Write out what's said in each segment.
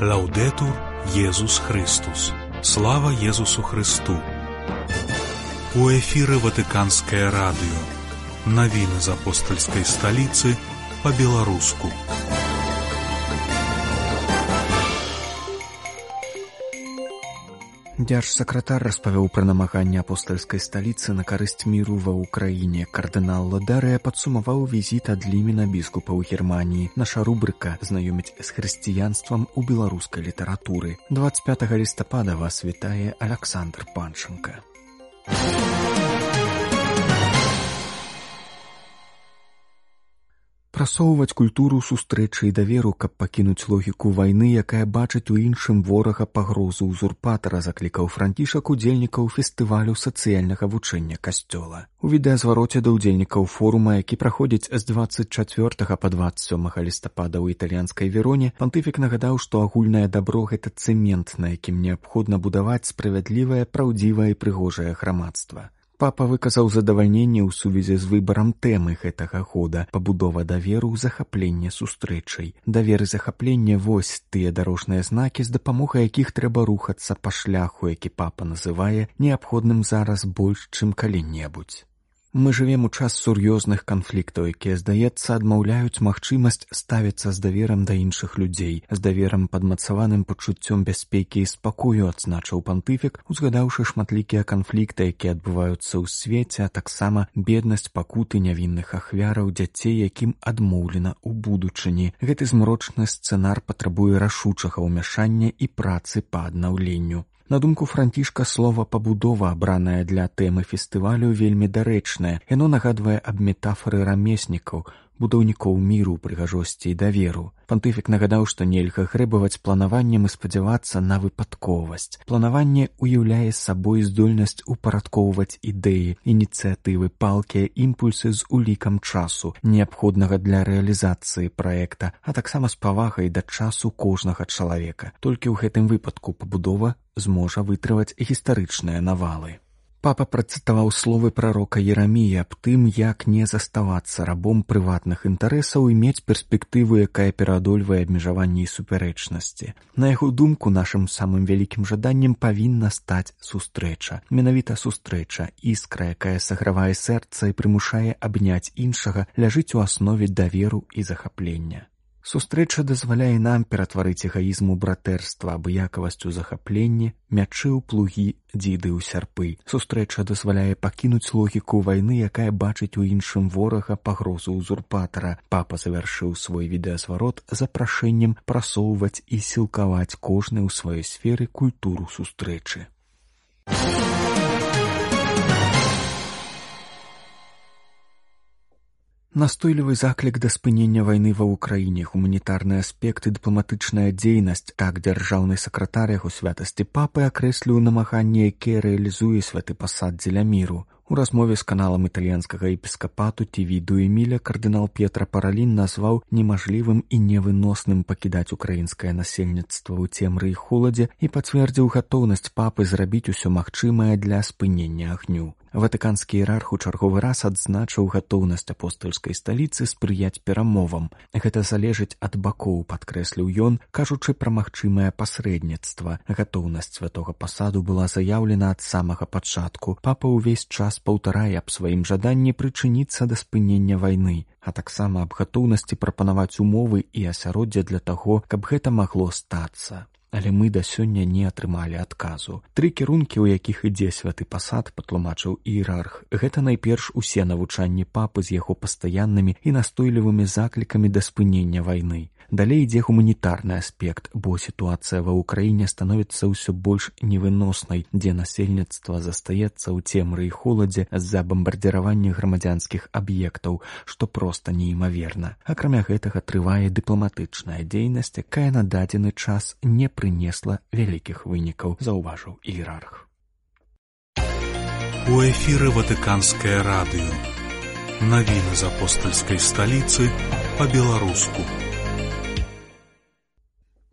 Лаўдэтур Езус Христус. Слава Езусу Христу. У эфіры Ватыканскае радыё. Навіны з апостальскай сталіцы па-беларуску. Дзяржсакратар распавёў пра намаганне апостальскай сталіцы на карысць міру ва ўкраіне. Кардынал Ладарыя падсумаваў візіт ад Лімена біскупа ў Германіі. Наша рубрыка «Знаёміць з хрысціянствам у беларускай літаратуры». 25 лістапада вас вітае Аляксандр Панченка. Прасоўваць культуру сустрэчы і даверу, каб пакінуць логіку вайны, якая бачыць у іншым ворага пагрозу ўзурпатара, заклікаў Францішак удзельнікаў фестывалю сацыяльнага вучэння касцёла. У відэазвароце да ўдзельнікаў форума, які праходзіць з 24 па 27 лістапада ў італьянскай Вероне, пантыфік нагадаў, што агульнае дабро — гэта цэмент, на якім неабходна будаваць справядлівае, праўдзівае і прыгожае грамадства. Папа выказаў задавальненне ў сувязі з выбарам тэмы гэтага года — пабудова даверу, захапленне сустрэчай. Давер і захапленне — вось тыя дарожныя знакі, з дапамогай якіх трэба рухацца па шляху, які папа называе неабходным зараз больш, чым калі-небудзь. Мы жывем у час сур'ёзных канфліктаў, якія, здаецца, адмаўляюць магчымасць ставіцца з даверам да іншых людзей, з даверам падмацаваным пачуццём бяспекі і спакою, адзначыў пантыфік, узгадаўшы шматлікія канфлікты, якія адбываюцца ў свеце, а таксама беднасць, пакуты нявінных ахвяраў, дзяцей, якім адмоўлена ў будучыні. Гэты змрочны сцэнар патрабуе рашучага ўмяшання і працы па аднаўленню. На думку Францішка, слова «пабудова», абранае для тэмы фестывалю, вельмі дарэчнае. Яно нагадвае аб метафары рамеснікаў, будаўнікоў міру, прыгажосці і даверу. Пантыфік нагадаў, што нельга грэбаваць планаваннем і спадзявацца на выпадковасць. Планаванне уяўляе сабой здольнасць упарадкоўваць ідэі, ініцыятывы, палкія імпульсы з улікам часу, неабходнага для рэалізацыі праекта, а таксама з павагай да часу кожнага чалавека. Толькі ў гэтым выпадку пабудова зможа вытрываць гістарычныя навалы. Папа працытаваў словы прарока Ерамія аб тым, як не заставацца рабом прыватных інтарэсаў і мець перспектыву, якая пераадольвае абмежаванні і супярэчнасці. На яго думку, нашым самым вялікім жаданнем павінна стаць сустрэча. Менавіта сустрэча, іскра, якая сагравае сэрца і прымушае абняць іншага, ляжыць у аснове даверу і захаплення. Сустрэча дазваляе нам ператварыць эгаізм у братэрства, абыякавасць у захапленне, мячы ў плугі, дзіды ў сярпы. Сустрэча дазваляе пакінуць логіку вайны, якая бачыць у іншым ворага пагрозу ўзурпатара. Папа завяршыў свой відэазварот запрашэннем прасоўваць і сілкаваць кожны ў сваёй сферы культуру сустрэчы. Настойлівы заклік да спынення вайны ва ўкраіне, гуманітарны аспект і дыпламатычная дзейнасць — так дзяржаўны сакратар яго святасці папы акрэсліў намаганне, якія рэалізуе святы пасад дзеля міру. У размове з каналам італьянскага епіскапату Тівіду Эміля кардынал П'етра Паралін назваў немажлівым і невыносным пакідаць украінскае насельніцтва ў цемры і холадзе і пацвердзіў гатоўнасць папы зрабіць усё магчымае для спынення агню. Ватыканскі іерарх у чарговы раз адзначыў гатоўнасць апостальскай сталіцы спрыяць перамовам. Гэта залежыць ад бакоў, падкрэсліў ён, кажучы пра магчымае пасрэдніцтва. Гатоўнасць святога пасаду была заяўлена ад самага пачатку. Папа ўвесь час паўтарае аб сваім жаданні прычыніцца да спынення вайны, а таксама аб гатоўнасці прапанаваць умовы і асяроддзе для таго, каб гэта магло стацца. Але мы да сёння не атрымалі адказу. 3 кірункі, у якіх ідзе святы пасад, патлумачыў іерарх. Гэта найперш усе навучанні папы з яго пастаяннымі і настойлівымі заклікамі да спынення вайны. Далей ідзе гуманітарны аспект, бо сітуацыя ва ўкраіне становіцца ўсё больш невыноснай, дзе насельніцтва застаецца ў цемры і холадзе з-за бамбардзіравання грамадзянскіх аб'ектаў, што проста неімаверна. Акрамя гэтага трывае дыпламатычная дзейнасць, якая на дадзены час не прынесла вялікіх вынікаў, заўважыў іерарх. У эфіры Ватыканскае радыё. Навіны з апостальскай сталіцы па-беларуску.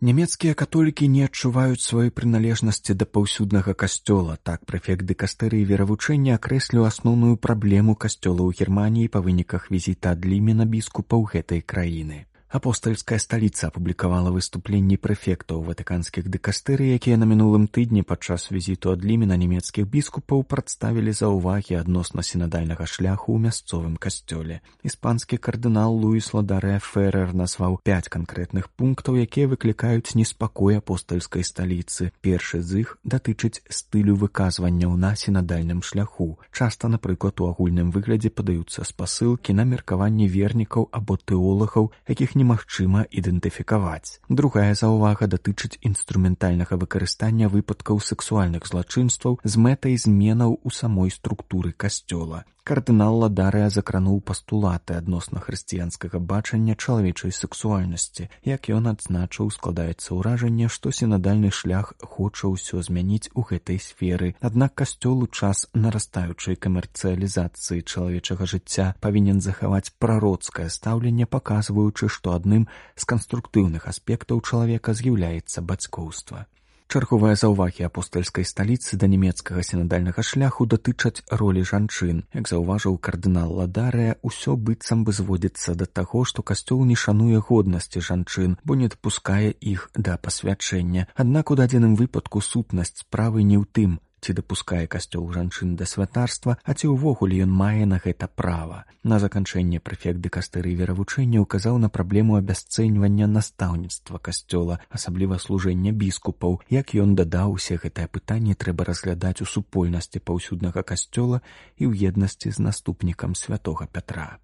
Нямецкія католікі не адчуваюць сваёй прыналежнасці да паўсюднага касцёла. Так прэфект дыкастэрыі веравучэння акрэсліў асноўную праблему касцёла ў Германіі па выніках візіта ад Лімена біскупа ў гэтай краіны. Апостальская сталіца апублікавала выступленні прэфектаў ватыканскіх дыкастэрый, якія на мінулым тыдні падчас візіту ад Лімена нямецкіх біскупаў прадставілі заўвагі адносна сінадальнага шляху ў мясцовым касцёле. Іспанскі кардынал Луіс Ладарэ Феррер назваў 5 канкрэтных пунктаў, якія выклікаюць неспакой апостальскай сталіцы. Першы з іх датычыць стылю выказванняў на сінадальным шляху. Часта, напрыклад, у агульным выглядзе падаюцца спасылкі на меркаванні вернікаў або тэолагаў, якіх немагчыма ідэнтыфікаваць. Другая заўвага датычыць інструментальнага выкарыстання выпадкаў сэксуальных злачынстваў з мэтай зменаў у самой структуры касцёла. Кардынал Ладарэ закрануў пастулаты адносна хрысціянскага бачання чалавечай сэксуальнасці. Як ён адзначыў, складаецца ўражанне, што сінадальны шлях хоча ўсё змяніць у гэтай сферы. Аднак касцёл у час нарастаючай камерцыялізацыі чалавечага жыцця павінен захаваць прароцкае стаўленне, паказваючы, што адным з канструктыўных аспектаў чалавека з'яўляецца бацькоўства. Чарговыя заўвагі апостальскай сталіцы да нямецкага сінадальнага шляху датычаць ролі жанчын. Як заўважыў кардынал Ладарэ, усё быццам бы зводзіцца да таго, што касцёл не шануе годнасці жанчын, бо не дапускае іх да пасвячэння. Аднак у дадзеным выпадку сутнасць справы не ў тым, ці дапускае касцёл жанчын да святарства, а ці ўвогуле ён мае на гэта права. На заканчэнне прэфект дыкастэрый веравучэння ўказаў на праблему абясцэньвання настаўніцтва касцёла, асабліва служэння біскупаў. Як ён дадаў, усе гэтыя пытанні трэба разглядаць у супольнасці паўсюднага касцёла і ў еднасці з наступнікам святога Пятра.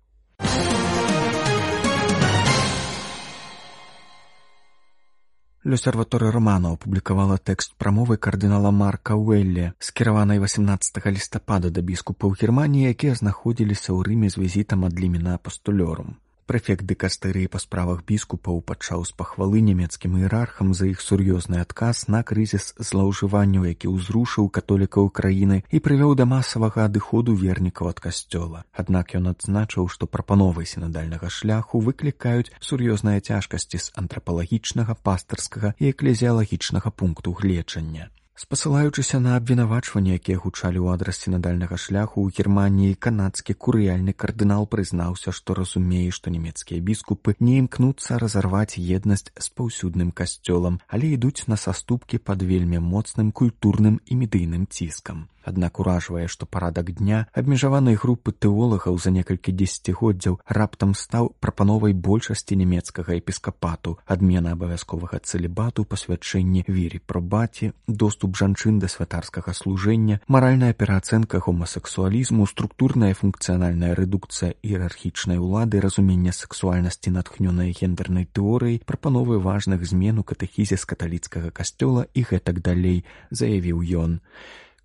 L'Osservatore Romano апублікавала тэкст прамовы кардынала Марка Уэлле, скіраванай 18 лістапада да біскупаў Германіі, якія знаходзіліся ў Рыме з візітам ад Лімена Апостолёрум. Прэфект дыкастэрыі па справах біскупаў пачаў з пахвалы нямецкім іерархам за іх сур'ёзны адказ на крызіс злоўжыванняў, які ўзрушыў католікаў краіны і прывёў да масавага адыходу вернікаў ад касцёла. Аднак ён адзначыў, што прапановы сінадальнага шляху выклікаюць сур'ёзныя цяжкасці з антрапалагічнага, пастырскага і эклезіялагічнага пункту гледжання. Спасылаючыся на абвінавачванні, якія гучалі ў адрас сінадальнага шляху ў Германіі, канадскі курыяльны кардынал прызнаўся, што разумее, што нямецкія біскупы не імкнуцца разарваць еднасць з паўсюдным касцёлам, але ідуць на саступкі пад вельмі моцным культурным і медыйным ціскам. Аднак уражвае, што парадак дня абмежаванай групы тэолагаў за некалькі дзесяцігоддзяў раптам стаў прапановай большасці нямецкага епіскапату, адмена абавязковага цэлібату, пасвячэнне віры прабаці, доступ жанчын да святарскага служэння, маральная пераацэнка гомасексуалізму, структурная функцыянальная рэдукцыя іерархічнай улады, разуменне сексуальнасці натхнёнай гендернай тэорыяй, прапановы важных змен у катэхізе з каталіцкага касцёла і гэтак далей, заявіў ён.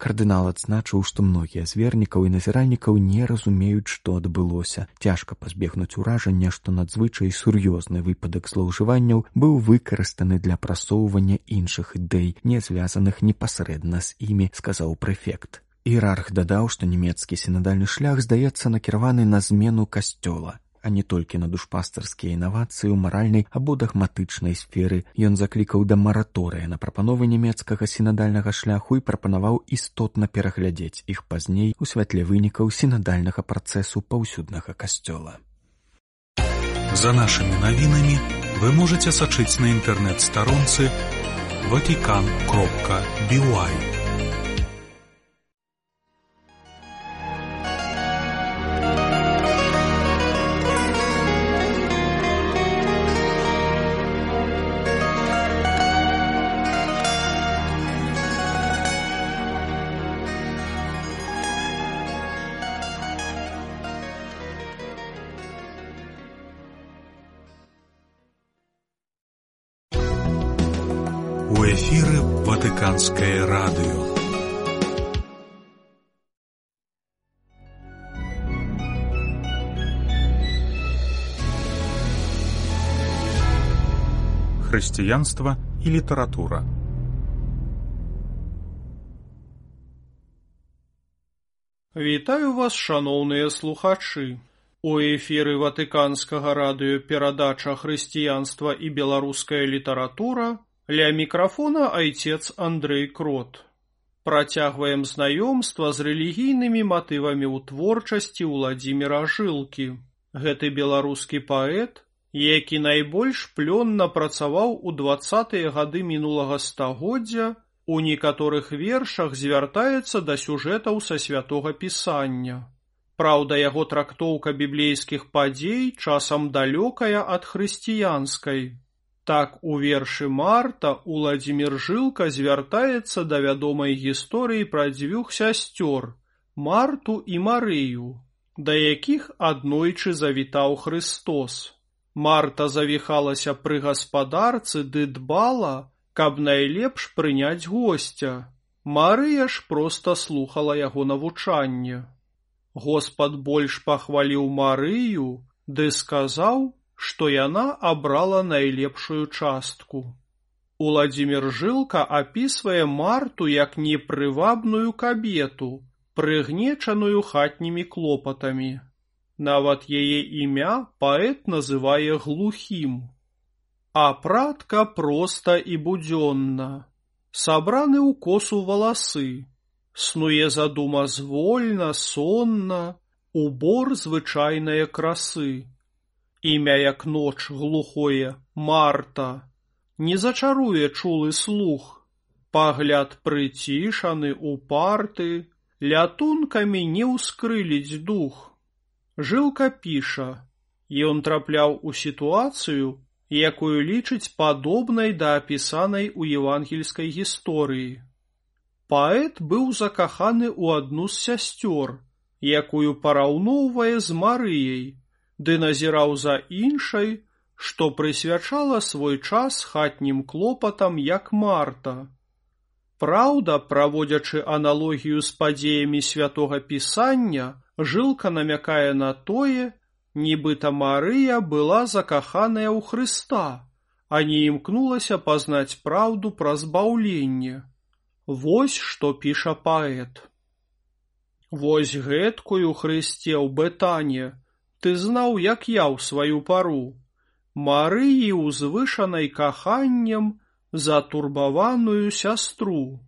Кардынал адзначыў, што многія з вернікаў і назіральнікаў не разумеюць, што адбылося. Цяжка пазбегнуць уражання, што надзвычай сур'ёзны выпадак злоўжыванняў быў выкарыстаны для прасоўвання іншых ідэй, не звязаных непасрэдна з імі, сказаў прэфект. Іерарх дадаў, што нямецкі сінадальны шлях здаецца накіраваны на змену касцёла, а не толькі на душпастарскія інавацыі ў маральнай або дагматычнай сферы. Ён заклікаў да мараторыя на прапановы нямецкага сінадальнага шляху і прапанаваў істотна пераглядзець іх пазней у святле вынікаў сінадальнага працэсу паўсюднага касцёла. За нашымі навінамі вы можаце сачыць на інтэрнэт-старонцы vatican.by. У эфіры Ватыканскае радыё. Хрысціянства і літаратура. Вітаю вас, шаноўныя слухачы. У эфіры Ватыканскага радыё перадача «Хрысціянства і беларуская літаратура». Ля мікрафона айцец Андрэй Крот. Працягваем знаёмства з рэлігійнымі матывамі ў творчасці Уладзіміра Жылкі. Гэты беларускі паэт які найбольш плённа працаваў у 20-е гады мінулага стагоддзя, у некаторых вершах звяртаецца да сюжэтаў са Святога Пісання. Праўда, яго трактоўка біблейскіх падзей часам далёкая ад хрысціянскай. Так, у вершы Марта Уладзімір Жылка звяртаецца да вядомай гісторыі пра дзвюх сясцёр, Марту і Марыю, да якіх аднойчы завітаў Хрыстос. Марта завіхалася пры гаспадарцы ды дбала, каб найлепш прыняць госця. Марыя ж проста слухала яго навучанне. Господ больш пахваліў Марыю, ды сказаў, што яна абрала найлепшую частку. Уладзімір Жылка апісвае Марту як непрывабную кабету, прыгнечаную хатнімі клопатамі. Нават яе імя паэт называе глухім. Апратка проста і будзённа. Сабраны ў косу валасы. Снуе задума звольна, сонна, убор звычайнае красы. Імя як ноч глухое, Марта, не зачаруе чулы слух. Пагляд прыцішаны, упарты, лятункамі не ўскрыліць дух. Жылка піша, ён трапляў у сітуацыю, якую лічыць падобнай да апісанай у евангельскай гісторыі. Паэт быў закаханы ў адну з сясцёр, якую параўноўвае з Марыяй, ды назіраў за іншай, што прысвячала свой час хатнім клопатам, як Марта. Праўда, праводзячы аналогію з падзеямі Святога Пісання, Жылка намякае на тое, нібыта Марыя была закаханая ў Хрыста, а не імкнулася пазнаць праўду пра збаўленне. Вось што піша паэт. Вось гэткую, Хрысце, ў Бетане, ты знаў, як я ў сваю пару, Марыі узвышанай каханнем затурбаваную сястру.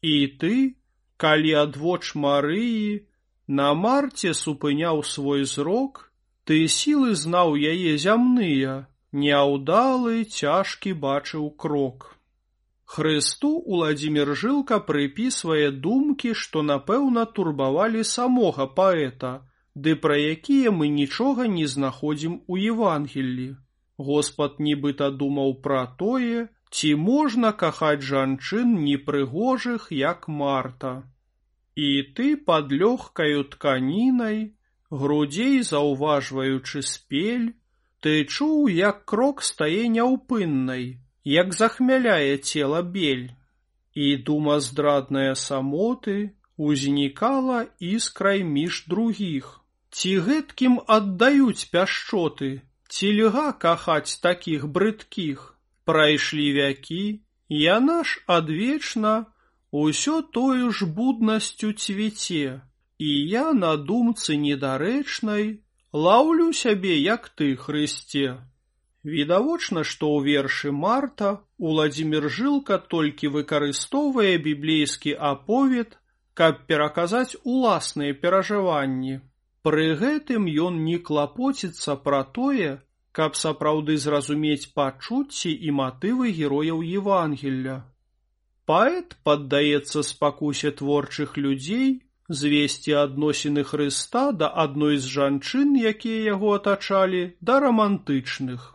І ты, калі адвоч Марыі, на Марце супыняў свой зрок, ты сілы знаў яе зямныя, няўдалы, цяжкі бачыў крок. Хрысту Уладзімір Жылка прыпісвае думкі, што, напэўна, турбавалі самога паэта, ды пра якія мы нічога не знаходзім у Евангеллі. Господ нібыта думаў пра тое, ці можна кахаць жанчын непрыгожых, як Марта. І ты пад лёгкаю тканінай, грудзей заўважваючы спель, ты чуў, як крок стае няўпыннай, як захмяляе цела бель. І дума здрадная самоты узнікала іскрай між другіх. Ці гэткім аддаюць пяшчоты, ці льга кахаць такіх брыдкіх? Прайшлі вякі, яна ж адвечна усё тою ж буднасцю цвіце, і я на думцы недарэчнай лаўлю сябе, як ты, Хрысце. Відавочна, што ў вершы Марта Уладзімір Жылка толькі выкарыстоўвае біблейскі аповед, каб пераказаць уласныя перажыванні. Пры гэтым ён не клапоціцца пра тое, каб сапраўды зразумець пачуцці і матывы герояў Евангелля. Паэт паддаецца спакусе творчых людзей звесці адносіны Хрыста да адной з жанчын, якія яго атачалі, да рамантычных.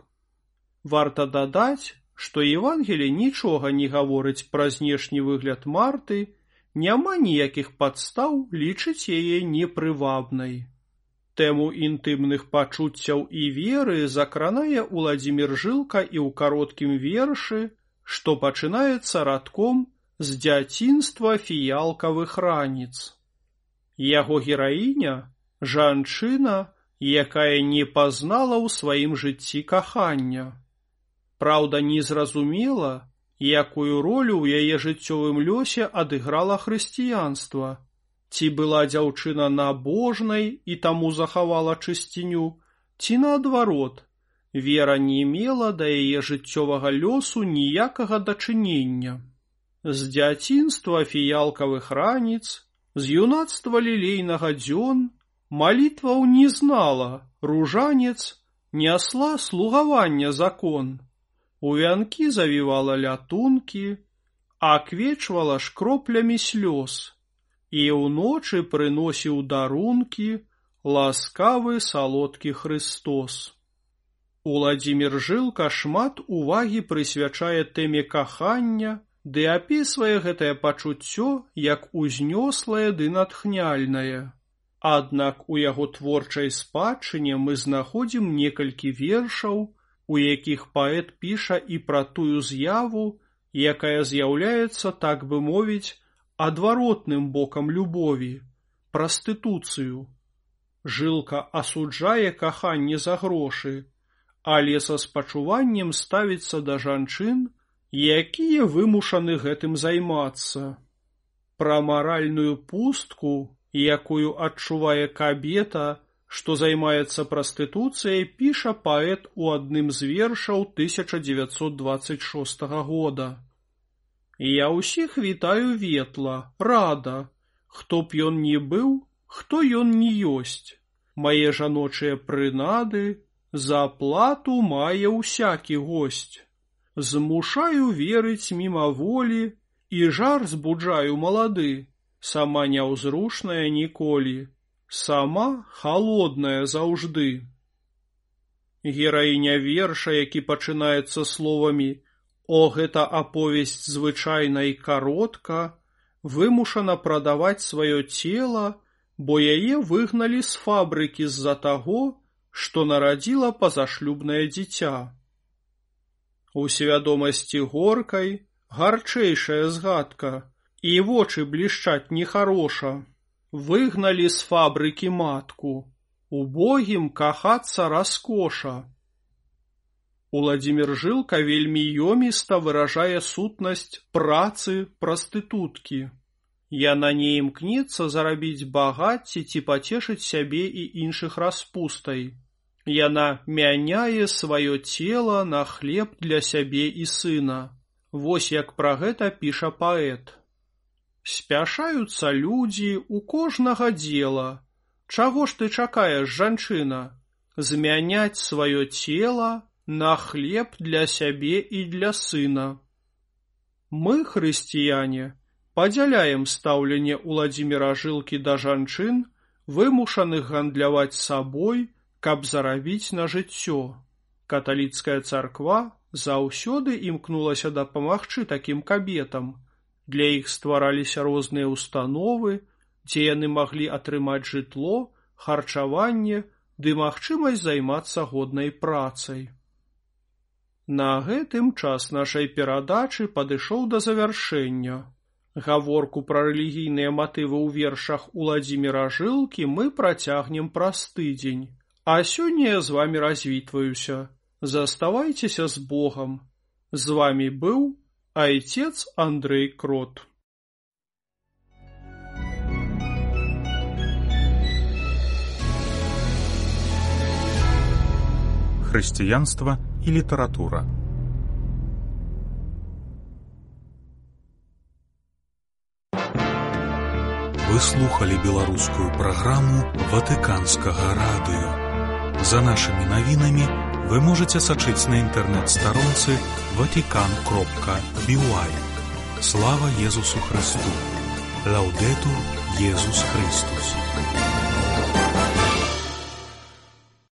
Варта дадаць, што Евангелле нічога не гаворыць пра знешні выгляд Марты, няма ніякіх падстаў лічыць яе непрывабнай. Тэму інтымных пачуццяў і веры закранае Уладзімір Жылка і ў кароткім вершы, што пачынаецца радком з дзяцінства фіялкавых раніц. Яго гераіня – жанчына, якая не пазнала ў сваім жыцці кахання. Праўда, не зразумела, якую ролю ў яе жыццёвым лёсе адыграла хрысціянства. Ці была дзяўчына набожнай і таму захавала чысціню, ці наадварот, вера не мела да яе жыццёвага лёсу ніякага дачынення. З дзяцінства фіялкавых раніц, з юнацтва лілейнага дзён, малітваў не знала, ружанец нясла слугавання закон, у вянкі завівала лятункі, аквечвала шкроплямі слёз, і ўночы прыносіў дарункі ласкавы салодкі Христос. Уладзімір Жылка шмат увагі прысвячае тэме кахання, ды апісвае гэтае пачуццё як узнёслае ды натхняльнае. Аднак у яго творчай спадчыне мы знаходзім некалькі вершаў, у якіх паэт піша і пра тую з'яву, якая з'яўляецца, так бы мовіць, адваротным бокам любові – прастытуцыю. Жылка асуджае каханне за грошы, але са спачуваннем ставіцца да жанчын, якія вымушаны гэтым займацца. Пра маральную пустку, якую адчувае кабета, што займаецца прастытуцыяй, піша паэт у адным з вершаў 1926 года. «Я ўсіх вітаю ветла, рада, хто б ён ні быў, хто ён ні ёсць. Мае жаночыя прынады за плату мае ўсякі госць. Змушаю верыць мімаволі і жар збуджаю малады, сама няўзрушная ніколі, сама халодная заўжды». Гераіня верша, які пачынаецца словамі «О, гэта аповесць звычайна і каротка», вымушана прадаваць сваё цела, бо яе выгналі з фабрыкі з-за таго, што нарадзіла пазашлюбнае дзіця. У свядомасці горкай гарчэйшая згадка, і вочы блішчаць нехароша. Выгналі з фабрыкі матку, убогім кахацца раскоша. Уладзімір Жылка вельмі ёміста выражае сутнасць працы прастытуткі. Яна не імкнецца зарабіць багацці ці пацешыць сябе і іншых распустай. Яна мяняе сваё цела на хлеб для сябе і сына. Вось як пра гэта піша паэт. «Спяшаюцца людзі у кожнага дзела. Чаго ж ты чакаеш, жанчына? Змяняць сваё цела на хлеб для сябе і для сына». Мы, хрысціяне, падзяляем стаўленне Уладзіміра Жылкі да жанчын, вымушаных гандляваць сабой, каб зарабіць на жыццё. Каталіцкая царква заўсёды імкнулася дапамагчы такім кабетам. Для іх ствараліся розныя ўстановы, дзе яны маглі атрымаць жытло, харчаванне ды магчымасць займацца годнай працай. На гэтым час нашай перадачы падышоў да завяршэння. Гаворку пра рэлігійныя матывы ў вершах Уладзіміра Жылкі мы працягнем праз тыдзень. А сёння я з вамі развітваюся. Заставайцеся з Богам. З вамі быў Отец Андрей Крот. Хрысціянства і літаратура. Вы слухали беларускую праграму Ватыканскага радыё. За нашымі навінамі вы можете сачыць на інтэрнэт-старонцы vatican.by. Слава Езусу Христу! Лаўдэтур Езус Христус!